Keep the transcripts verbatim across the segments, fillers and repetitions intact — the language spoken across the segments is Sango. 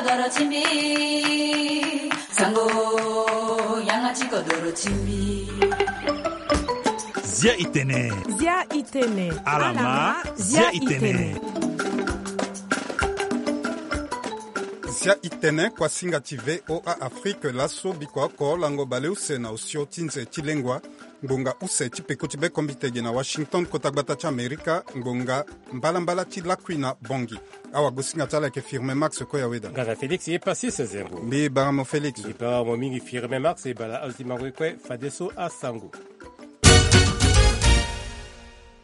Doro ti mbi, sango, yanga ti kodoro ti mbi. Zia i tene. Zia i tene. Ala ma, zia i tene. Zia i tene, kuasinga ti V O A Afrique, laso biko oko lango baleuse na osio ti nze ti lengua. Ngbonga use ti peko ti bekombitege na Washington, kota gbata ti Amerika, ngbonga mbalambala ti lakui na Bongi. Awagosinga ti ala ayeke Firmin Max Koyaweda. Ngana Félix ye Passis Zengo. Mbi bara mo Félix. Mbi bara mo mingi Firmin Max, e bala azo ti mango ye kue fadeso asango.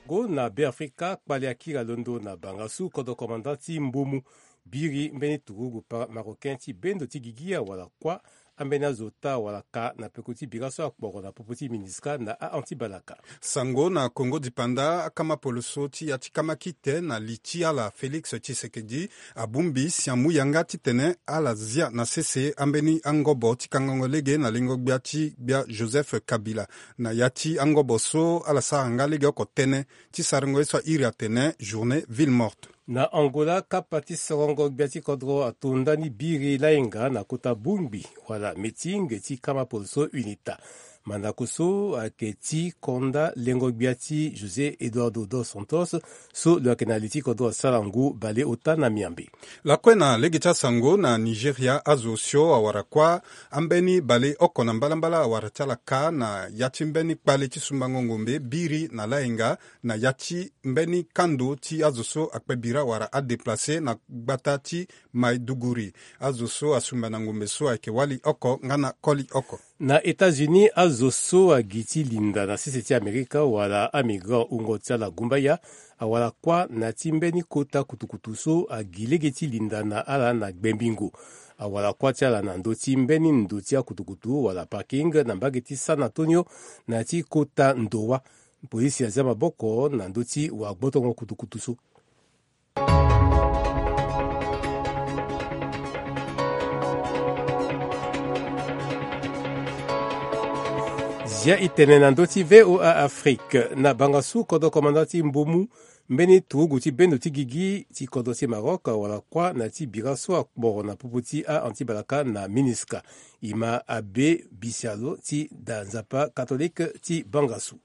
Go na Beafrika, kpale akiri alondo na bangasu kodro commandant ti Mbomu. Biri mbeni turugu pa-, marocain ti bendo ti gigi awara kuâ ambeni azo ota wala ka na peko ti bira so akporo na popo ti MINUSCA na ahon ti balaka. Sango na Kongo dipanda, akama poloso ti ya ti kama kite na li ti ala Félix Tshisekedi abongbi siamu yanga titene ala zia na sese ambeni angobo ti kangango lege na lengo gbia ti gbia Joseph Kabila. Na ya ti angobo so ala sara nga lege oko tënë ti sarango ye so airi atene journée ville morte. Na Angola, kapa ti sorongo gbia ti kodro ato ndani biri layenga na kota bongbi wala meeting ti kama poloso UNITA. Mandako so ayeke ti konda lengo gbia ti José Eduardo dos Santos, so lo yeke na li ti kodro asara ngu baleota na miambe. Lakue na lege ti asango, na Nigeria, azo osio awara kuâ ambeni baleoko na mbalambala awara ti ala ka na ya ti mbeni kpale ti sumbango ngombe biri na layenga, na ya ti mbeni kando ti azo so akpe bira wala adéplacé na gbata ti Maiduguri. Azo so asumba na ngombe so ayeke wali oko nga na koli oko. Na États-Unis, azo so agi ti linda na sese ti Amerika wala amigrant wungo ti ala gumbaya awara kuâ na ya ti mbeni kota kutukutu so agi lege ti linda na ala na gbembingo. Awara kuâ ti ala na ndö ti mbeni ndo ti akutukutu wala parking na mbage ti San Antonio na ya ti kota Ndowa. Polisi azia maboko na ndö ti wagbotongo kutukutu so. Zia i tene na ndö ti V O A Afrique. Na bangasu kodro komanda ti Mbomu, mbeni turugu ti bendo ti gigi ti kodro ti Maroc awara kuâ na ya ti bira so akporo na popo ti a-anti balaka na MINUSCA. E ma abbé Bisialo ti da Nzapa catholique ti bangasu.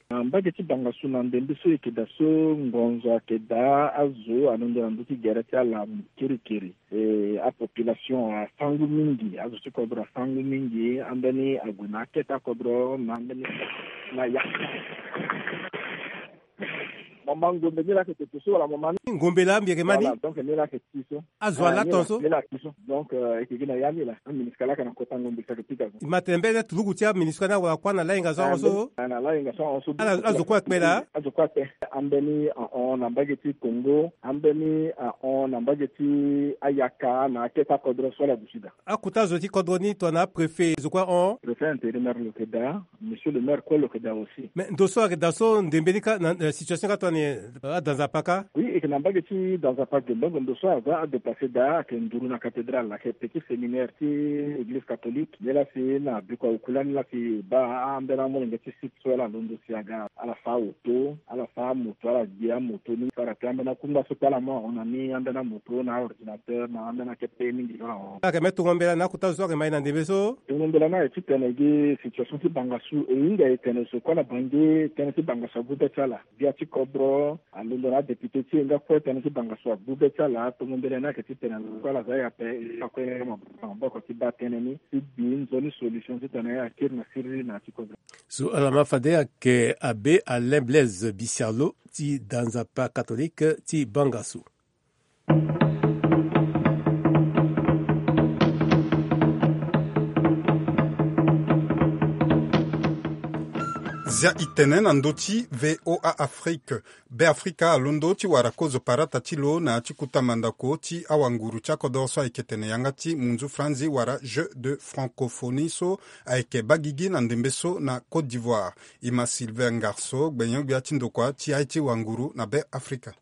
Na mbage ti bangasu na ndembe so e yeke daa so, ngonzo ayeke daa, azo alondo na ndö ti gere ti ala kirikiri. E, apopulation asangu mingi, azo ti kodro asangu mingi, ambeni ague na akete akodro na ambeni na ya. Mama ngombe ni laa ayeke toto so wala mama ni? Ngombe laa mbi yeke ma ni? Voilà, donc ni laa ayeke ti so. Azo ala ton so? Ni laa ayeke ti so. Donc, euh, e yeke gi na ya ni laa. A-MINUSCA laa ayeke na kota ngombe so ayeke pika so. E ma tene mbeni turugu ti a-MINUSCA ni awara kuâ na layenga so ahon so? Ah, na layenga so ahon so. Ala, azo kue akpe laa? Azo kue akpe. Ambeni ahon na mbage ti Congo, ambeni ahon na mbage ti ayaka na akete akodro so ala duti daa. Akota zo ti kodro ni tongana apréfet, zo kue ahon? Préfet intérimaire lo yeke daa. Monsieur le maire kue lo yeke daa aussi. Mais ndo so ayeke daa so, ndembe ni ka na, na situation ka tongana nyen, euh, ada Nzapa ka? Oui, e yeke na mbage ti da Nzapa Gembengo, ndo so aza adéplacé daa, ayeke nduru na cathédrale, ayeke petit séminaire ti église catholique. Nde laa si na biko awuku lani laa si e baa ambeni amolenge ti site so ala londo si aga, ala fâ auto, ala fâ amoto, ala gbe amoto ni. Fara ti ambeni akungba so kue ala mu ahon na ni, ambeni amoto na aordinateur na ambeni akete mingi so ahon. Ayeke me tongo mbela na akota zo so ayeke ma e na ndembe so? Tongo mbela ni ayeke titene gi situation ti bangasu, e hinga e tene zo kue na Bangui, tënë ti bangasu agu be ti ala. Gbia ti kodro alondo na adéputé ti e nga kue, tënë ti bangasu agu be ti ala. Tongo mbela ni ayeke titene zo kue ala za e ape, e kue maboko ti baa tënë ni ti gbi nzoni solution titene e akiri na siriri na ya ti kodro. So ala ma fade ayeke abbé Alain Blaise Bisialo ti da Nzapa catholique ti bangasu. Zia i tene na ndö ti V O A Afrique. Beafrika alondo ti wara kozo parata ti lo na ya ti kota mandako ti awanguru ti akodoro so ayeke tene yanga ti munzu franzi wala Jeux de francophonie so ayeke baa gigi na ndembe so na Côte d'Ivoire. E ma Sylvain Ngarso, gbenyo-gbia ti ndokua ti aye ti wanguru na Beafrika.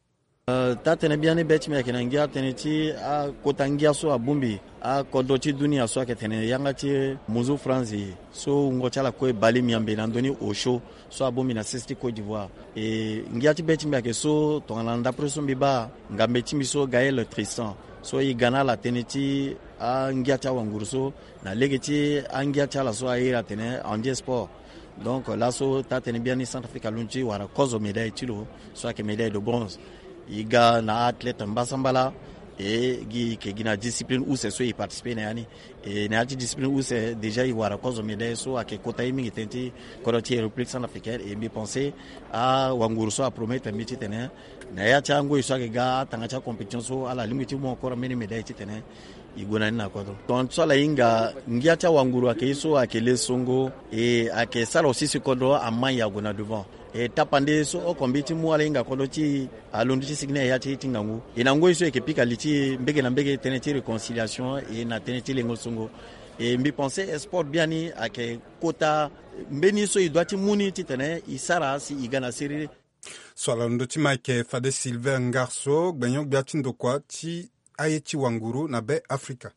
Taa-tënë biani be ti mbi ayeke na ngia tënë ti akota ngia so abongbi akodro ti dunia so ayeke tene yanga ti munzu franzi so wungo ti ala kue bale miambe na ndoni osio so abongbi na sese ti Côte d'Ivoire. E ngia ti be ti mbi ayeke so tongana ndapre so mbi baa ngambe ti mbi so Gaël Tristan so e ga na ala tënë ti angia ti awanguru so na lege ti angia ti ala so airi atene Andier Sport. Donc laso taa-tënë biani Centrafrique alondo ti wara kozo médaille ti lo so ayeke médaille de bronze. E ga na athlète mbasambala e gi e yeke gi na discipline use so e participer na ya ni. E na ya ti discipline use déjà e wara kozo médaille so ayeke kota ye mingi tënë ti kodro ti République Centrafricaine. E mbi pense awanguru so apromettre mbi titene na ya ti angoi so ayeke ga atanga ti acompétition so ala lingbi ti mu encore mbeni médaille titene e gue na ni na kodro. Tongaso ala hinga ngia ti awanguru ayeke ye so ayeke le songo e ayeke sara aussi si kodro amaï ague na devant. E tapande so oko mbi ti mu ala hinga kodro ti e alondo ti sigi ni na ya ti e ti ngangu. E na ngoi so e yeke pika li ti e mbege na mbege tënë ti réconciliation e na tënë ti lengo songo. E mbi pense e sport biani ayeke kota mbeni so e doit ti mu ni titene e sara si e ga na siriri. So ala londo ti ma ayeke fade Sylvain Ngarso, gbenyo-gbia ti ndokua ti aye ti wanguru na Be Afrika.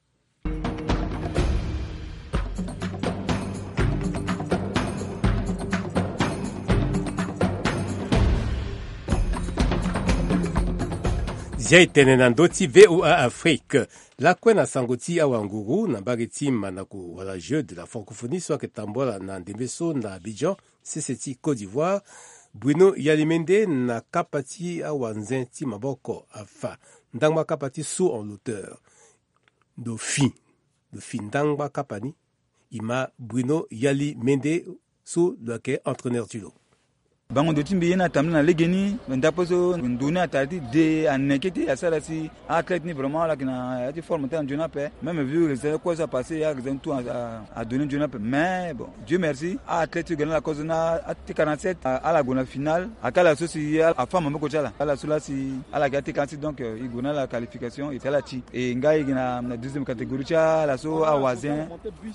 Zia e tene na ndö ti V O A Afrique. Lakue na sango ti awanguru na mbage ti mandako wala jeu de la francophonie so ayeke tambula na ndembe so na Abidjan, sese ti Côte d'Ivoire, Bruno Yalimende na kapa ti awanzen ti maboko afa ndangba kapa ti saut en hauteur. Ndo fi, ndo fi ndangba kapa ni, e ma Bruno Yalimende so lo yeke entraîneur ti lo. Bango ndo ti mbi ye ni atambula na legeni, ndapo so ndo ni atara ti de aneke ti asara si athlète ni vraiment ala yeke na ya ti forme ti ala nzoni ape. Même vu résultat kue so apasse, ya résultat ni tout a, a, adonné nzoni ape. Mais bon, Dieu merci, athlète ti gue na ala kozo na a T quarante-sept, a, ala gue na finale. Aka ala so si a, afa maboko ti ala. Ala so la si ala yeke a T quarante-sept, donc, euh, e gue na ala qualification, e ti ala ti. E nga e yeke na, na deuxième catégorie ti ala so awazen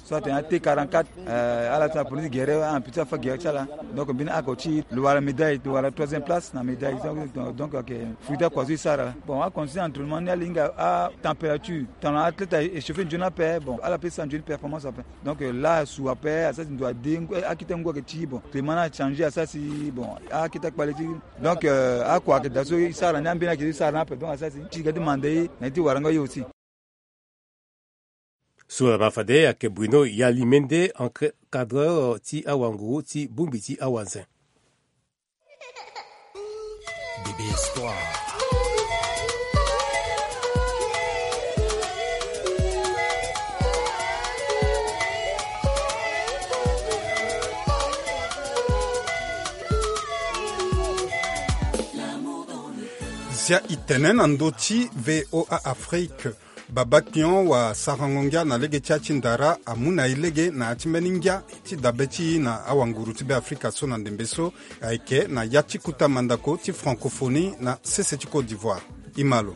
so atene a T quarante-quatre. Euh, ala so aponi ti gere, ampi ti afa gere ti ala. Donc mbeni oko ti lo wara médaille, lo wara troisième place na médaille. Donc, donc, donc, ok. Fruit ti akua so e sara. Bon, acondition entraînement ni ala hinga atempérature. Tongana athlète a échauffé nzoni ape, bon, ala peut sara nzoni performance ape. Donc, euh, la asu ape, asara si ndo ade, akete ngu ayeke ti, bon, climat ni achangé, asara si, bon, akete akpale ti. Donc, euh, akua ayeke daa so e sara ni, ambeni ayeke ti sara ni ape, donc asara si ti ga ti manda e na ye ti warango ye aussi. So laa ma fade ayeke Bruno Yalimende, encadreur ti awanguru ti bongbi ti awanzen. Bébé Espoir. Zia e tene na ndö ti V O A Afrique. Baba Kion wa sarango ngia na lege ti ya ti ndara amu na e lege na ya ti mbeni ngia ti dabe ti e na awanguru ti Be Afrika so na ndembe so ayeke na ya ti kota mandako ti francophonie na sese ti Côte d'Ivoire. E ma lo.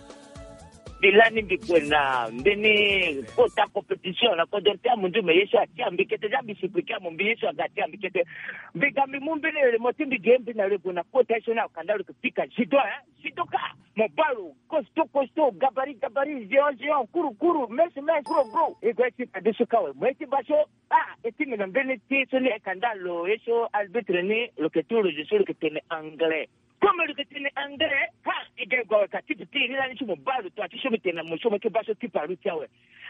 Mbi lani mbi gue na mbeni kota compétition na kodro ti amunzu, me ye so atia mbi kete, za mbi suppliquer mo mbi ye so aga atia mbi kete. Mbi ga mbi mu mbeni remo ti mbi ge mbi na lo e gue na kota ye so ni akanda lo yeke pika judo, hein, judoka. Mobali costaud, costaud, gabarit, gabarit, géant, géant, kuru, kuru, mince, mince, gros, gros. E gue ti fadeso kue awe. Mo ye ti baa so, ah, e ti mbi na mbeni ti so ni e kanda lo ye so arbitre ni lo yeke ti roge so lo yeke tene anglais. Comme lo yeke tene anglais, ha, e ga e gue awe ka tipe ti e ni lani so mobali tonga ti so mbi tene na mo so mo ye ti baa so tipe alu ti awe.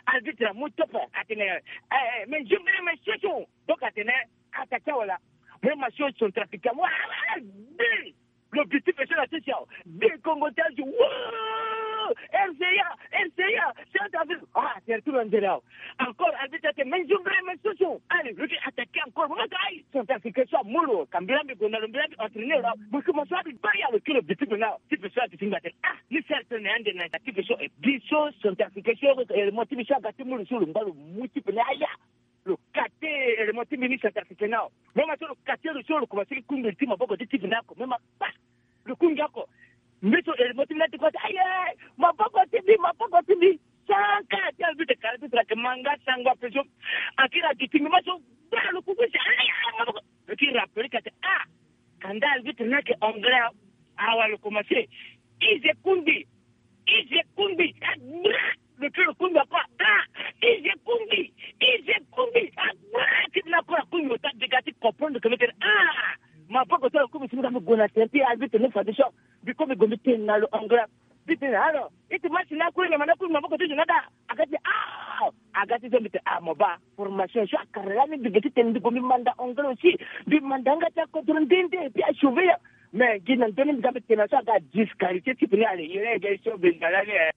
Arbitre amu tope atene, eh, eh, mais je voulais me chercher. Donc atene, ata ti awe laa. Mo ye ma so centrafricain amu, ah, ah, ah, bien. Lo bi ti pe so na ti si awe. Bi Kongo ti azo. Woo! R C A, R C A, Centrafrique. Ah, tere ti lo nzere awe. Encore, arbitre ate, mais je voudrais me soucier. Allez, lo ti attaquer encore. Mo ka ayi, Centrafricain so amu lo. Ka mbi laa mbi gue na lo, mbi laa mbi entraîner lo. Mo ki mo so abi bari awe, ki lo bi ti pe na. Ti pe so ati ti mbi ate. Ah, ni sere tene ande na ti pe so. Eh, bi so Centrafricain so, eh, mo ti bi so aga ti mu lo so lo ngba lo mu ti pe na aya. Lo kate élément ti mbi ni centrafricain ni awe. Mo ma so lo kate lo so lo komanse ti kungbi ti maboko ti ti mbi ni oko. Mo ma kpa. Lo kungbi oko. Mbi so élément ti mbi ni ati kue ati aye. Maboko ti mbi, maboko ti mbi. Sanka ti arbitre ka arbitre ayeke ma nga sango ape so. Akiri ati ti mbi ma so. Baa lo kungbi si aye maboko. Lo kiri rappelé ka ati ah. Kanda arbitre ni ayeke anglais awe. Awa lo komanse. Ize kumbi. Ize kumbi. Ah, bra. Le cœur kumbi encore. Ah, ize kumbi. Ize kumbi. Ah, bra. Ti na kora kumbi ota dega ti comprendre que mete. Ah, ma poko to kumbi simi ka mi gona tempi albi te ne fadisho. Biko mi gombi ten na lo angra. Bi tene, alors, iti match na kue, nyama na kue, maboko ti jonada. Aga ti, ah, aga ti zo mbi te, ah, mo ba, formation, so akara la ni, mbi gi ti tene, mbi go mbi manda anglais aussi, mbi manda nga ti akodro nde nde, et puis a sauver ya. Mais gi na ndoni mbi ga mbi tene, so aga disqualifié ti pene, allez, yere, yere, so mbi ndala ni, eh.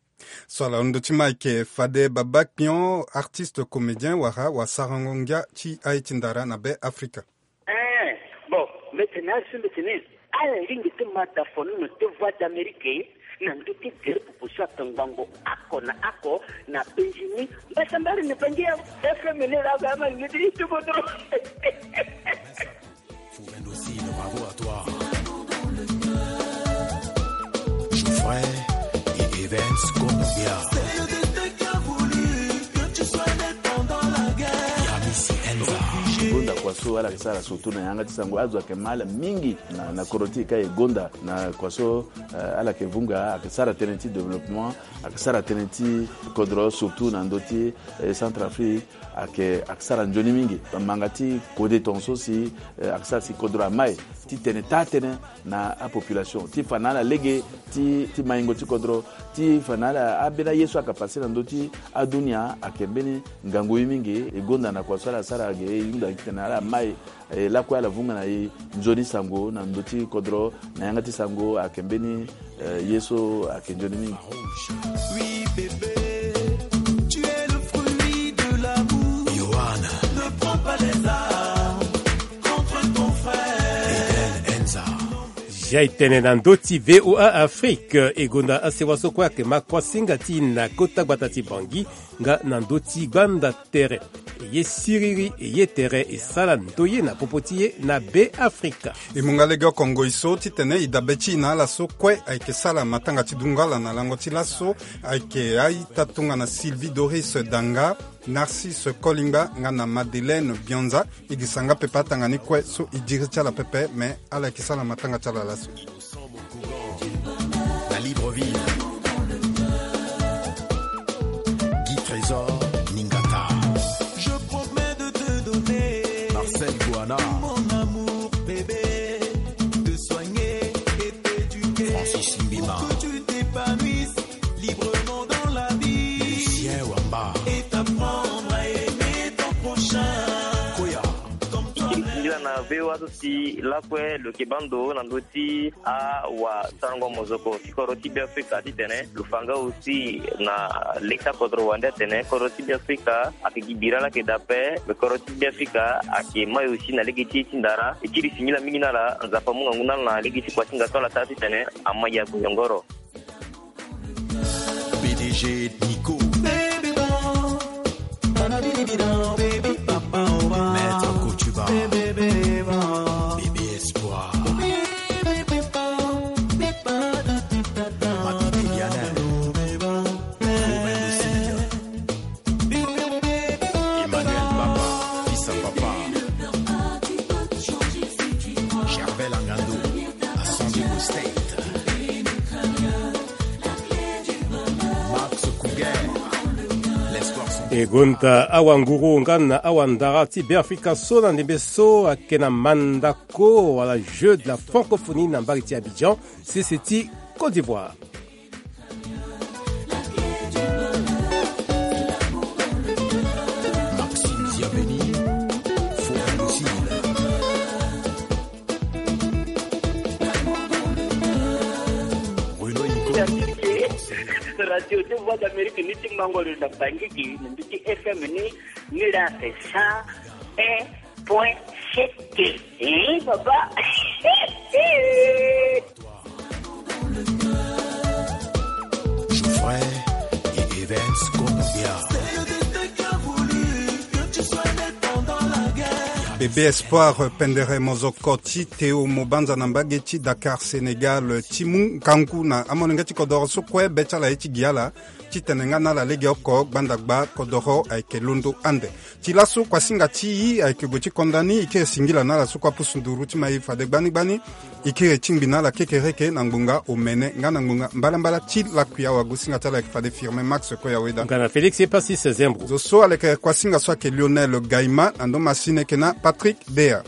So ala ndö ti ma ayeke fade Baba Kpion, artiste comédien, wala wasarango ngia ti aye ti ndara na Be Afrika. Eh, bon, mbi tene azo mbi tene, ala lingbi ti ma da fonono ti Voix d'Amérique na ndö ti gere popo so atongbango oko na oko na penzi ni. Mbasambari ni pangi ya F M ni la ga ma ni ti tubo dro. Fouvendo Sino, bravo à toi. Jouffret et Evans Konobia. Yamisi Enza. Gonda kua so ala yeke sara surtout na yanga ti sango, azo ayeke ma ala mingi na, na kodro ti e ka e gonda na kua so, eh, ala yeke vunga, ayeke sara tënë ti développement, ayeke sara tënë ti kodro surtout na ndö ti, eh, Centrafrique, ayeke, ayeke sara nzoni mingi. Manga ti kode tongaso si, eh, ayeke sara si kodro amai ti tene taa tënë na apopulation ti fa na ala lege ti, ti maingo ti kodro, ti fa na ala ambeni aye so ayeke pase na ndö ti adunia ayeke mbeni ngangu ye mingi. E gonda na kua so ala sara ge, e hunda gi tene ala mai, e lakue ala vunga na e nzoni sango na ndö ti kodro, na yanga ti sango ayeke mbeni, eh, ye so ayeke nzoni mingi. Oui, bébé, tu es le fruit de l'amour. Yohan. Ne prends pas les armes contre ton frère. Eden Enza. Zia e tene na ndö ti V O A Afrique, e gonda asewa so kue ayeke ma kuasinga ti na kota gbata ti Bangui, nga na ndö ti gbanda tere. E ye siriri, e ye tere, e sara ndoye na popo ti e na Be Afrika. E mu nga legeoko ngoi so titene e dabe ti e na ala so kue ayeke sara matanga ti dungala na lango ti laso, ayeke a-ita tongana Sylvie Doris Danga, Narcisse Kolingba nga na Madeleine Bionza. E gi sanga pepe atanga ni kue so e diri ti ala pepe, me ala yeke sara matanga ti ala laso. La Libreville. Guy Trésor Ningata. Je promets de te donner. Marcel Guana. Mon amour, bébé. Te soigner et t'éduquer. Francis Mbima. Pour que tu t'épanouisses librement dans la vie. Lucien Wamba. Et t'apprendre à aimer ton prochain. Koya. Comme toi-même. Singila na V O A so si lakue lo yeke baa ndo na ndö ti awasarango mozoko ti kodro ti Beafrika titene lo fa nga aussi na lege ti akodro wande atene kodro ti Beafrika ayeke gi bira laa ayeke daa ape, me kodro ti Beafrika ayeke mai aussi na lege ti ye ti ndara. E kiri singila mingi na ala, Nzapa amu ngangu na ala na lege ti kuasinga so ala sara titene amai agoyongoro. P D G Nico. Maître Kotuba. Bébé Espoir. Mabidi Diana. Emmanuel Papa. Fils à Papa. Gervais Langando. Assemblée State. Max Kouguer. L'espoir sans. E gonda awanguru nga na awandara ti Beafrika so na ndembe so ayeke na mandako wala jeu de la francophonie na mbage ti Abidjan, sese ti Côte d'Ivoire. Maxime Ziabeni, Forum Sud. Renaud Nico. Radio ti Voix d'Amérique ni ti mango lo na Bangui gi na mbi ti F M ni, ni la c'est cent un point sept. Eh, papa. Jouffret et Evans Konobia. C'est le destin qui a voulu que tu sois né pendant la guerre. B Ebe Espoir pendere mozoko ti Théo Mobanza na mbage ti Dakar, Sénégal, ti mu ngangu na amolenge ti kodoro so kue be ti ala ye ti gi ala titene nga na ala legeoko gbanda gba kodoro ayeke londo ande. Ti laso kuasinga ti e ayeke gue ti konda ni, e kiri singila na ala so kue apusu nduru ti ma e fade gbani gbani. E kiri tingbi na ala kekereke na ngbonga omene nga na ngbonga mbalambala ti lakui awagosinga ti ala ayeke fade Firmin Max Koyaweda. Nga na Félix Epasis Zembro. Zo so aleke kuasinga so ayeke Lionel Gaima, na ndo masini ayeke na Patrick Dea.